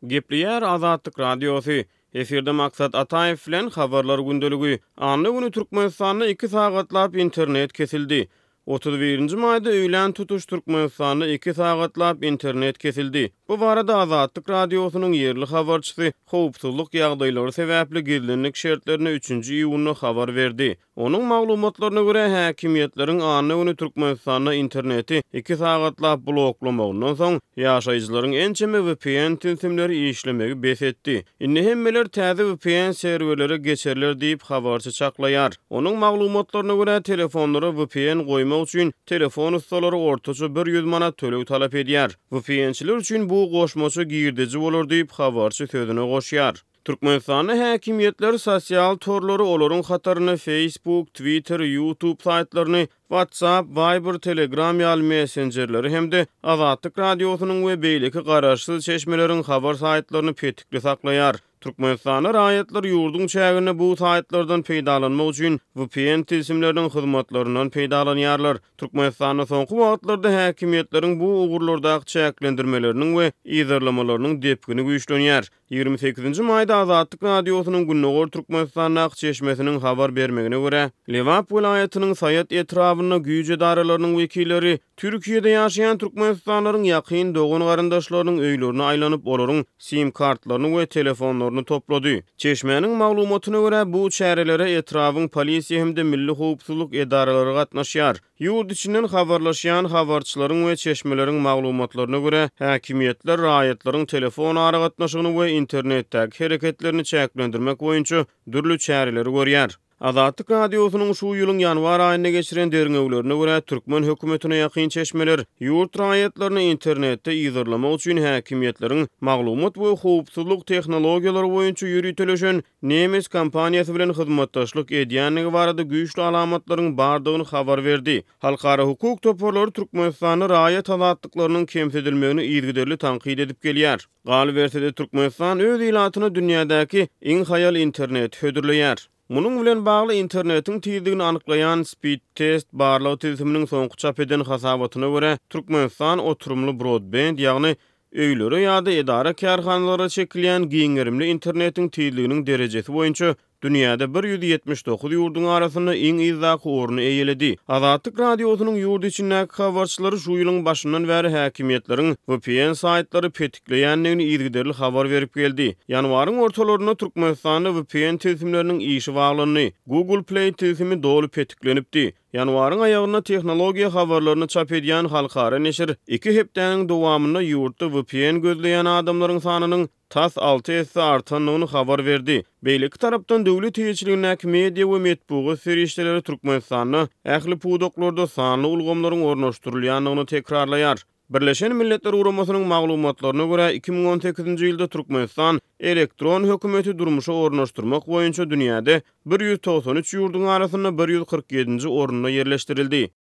Gepleýär Azatlyk Radiosy. Efirde Maksat Ataýew bilen Habarlar gündeligi. Anna güni Türkmenistanda iki sagatlap internet kesildi. 31-nji maýda öýlän tutuş Türkmenistanda iki sagatlap internet kesildi. Bu barada Azatlyk Radiosynyň ýerli habarçysy howpsuzlyk ýagdaýlary sebäpli gizlinlik şertlerinde üçünji iýunda habar berdi. Onuň maglumatlaryna görä, häkimiýetleriň anna güni Türkmenistanda interneti iki sagatlap bloklamagyndan soň, ýaşaýjylaryň ençeme vpn tilsimleri işlemegi bes etdi. Indi hemmeler täze vpn serwerlere geçerler diýip, habarçy çaklaýar. Onuň maglumatlaryna görä, telefonlara vpn goýmak üçin telefon ussalary ortaça 100 manat töleg talap edýär. VPN-çiler üçin bu goşmaça girdeji bolar diýip, habarçy sözüne goşýar. Türkmenistanda häkimiýetler sosial torlary, olaryň hatarynda Facebook, Twitter, YouTube saýtlaryny, WhatsApp, Viber, Telegram ýaly messenjerleri hem-de Azatlyk Radiosynyň we beýleki garaşsyz çeşmeleriň habar saýtlaryny petikli saklaýar. Türkmenistanda raýatlar ýurduň çäginde bu saýtlardan peýdalanmak üçin vpn tilsimleriniň hyzmatlaryndan peýdalanýarlar. Türkmenistanda soňky wagtlarda häkimiýetleriň bu ugurlardaky çäklendirmeleriniň we yzarlamalarynyň depgini güýçlenýär. 28-nji maýda Azatlyk Radiosynyň Gündogar Türkmenistandaky çeşmesiniň habar bermegine görä, Lebap welaýatynyň Saýat etrabynda güýç edaralarynyň wekilleri Türkiýede ýaşaýan türkmenistanlylaryň ýakyn dogan-garyndaşlarynyň öýlerine aýlanyp, olaryň sim-kartlaryny we telefonlaryny toplady. Çeşmäniň maglumatyna görä, bu çärelere etrabyň polisiýa hem-de milli howpsuzlyk edaralary gatnaşýar. Ýurt içinden habarlaşýan habarçylaryň we çeşmeleriň maglumatlaryna görä, häkimiýetler raýatlaryň telefon aragatnaşygyny we internetdäki hereketlerini çäklendirmek boýunça dürli çäreleri görýär. Azatlyk Radiosynyň şu ýylyň ýanwar aýynda geçiren derňewlerine görä, türkmen hökümetine ýakyn çeşmeler ýurt raýatlaryny internetde yzarlamak üçin häkimiýetleriň maglumat we howpsuzlyk tehnologiýalary boýunça ýöriteleşen nemes kompaniýasy bilen hyzmatdaşlyk edýändigi barada güýçli alamatlaryň bardygyny habar berdi. Halkara hukuk toparlary Türkmenistanda raýat azatlyklarynyň kemsidilmegini yzygiderli tankyt edip gelýär. Galyberse-de, Türkmenistan öz ilatyna dünýädäki iň haýal interneti hödürleýär. Munuň bilen bagly internetiň tizligini anyklaýan Speedtest barlag tilsiminiň soňky çap eden hasabatyna görä, Türkmenistan oturymly brodbend, ýagny Öýlere ýa-da edara-kärhanalara çekilýän giň gerimli internetiň tizliginiň derejesi boýunça dünýäde 179 ýurduň arasynda iň yzdaky orny eýeledi. Azatlyk Radiosynyň ýurt içindäki habarçylary şu ýylyň başyndan bäri häkimiýetleriň vpn saýtlary petikleýändigini yzygiderli habar berip geldi. Ýanwaryň ortalarynda Türkmenistanda vpn tilsimleriniň işi baglandy. Google Play tilsimi doly petiklenipdi. Ýanwaryň aýagynda tehnologiýa habarlaryny çap edýän halkara neşir iki hepdäniň dowamynda ýurtda vpn gözleýän adamlaryň sanynyň tas alty esse artandygyny habar berdi. Beýleki tarapdan, döwlet eýeçiligindäki media we metbugat serişdeleri Türkmenistanda ähli pudaklarda sanly ulgamlaryň ornaşdyrylýandygyny tekrarlaýar. Birleşen Milletler Guramasynyň maglumatlaryna görä, 2018-nji ýylda Türkmenistan elektron hökümeti durmuşa ornaşdyrmak boýunça dünýäde 193 ýurduň arasynda 147-nji orunda ýerleşdirildi.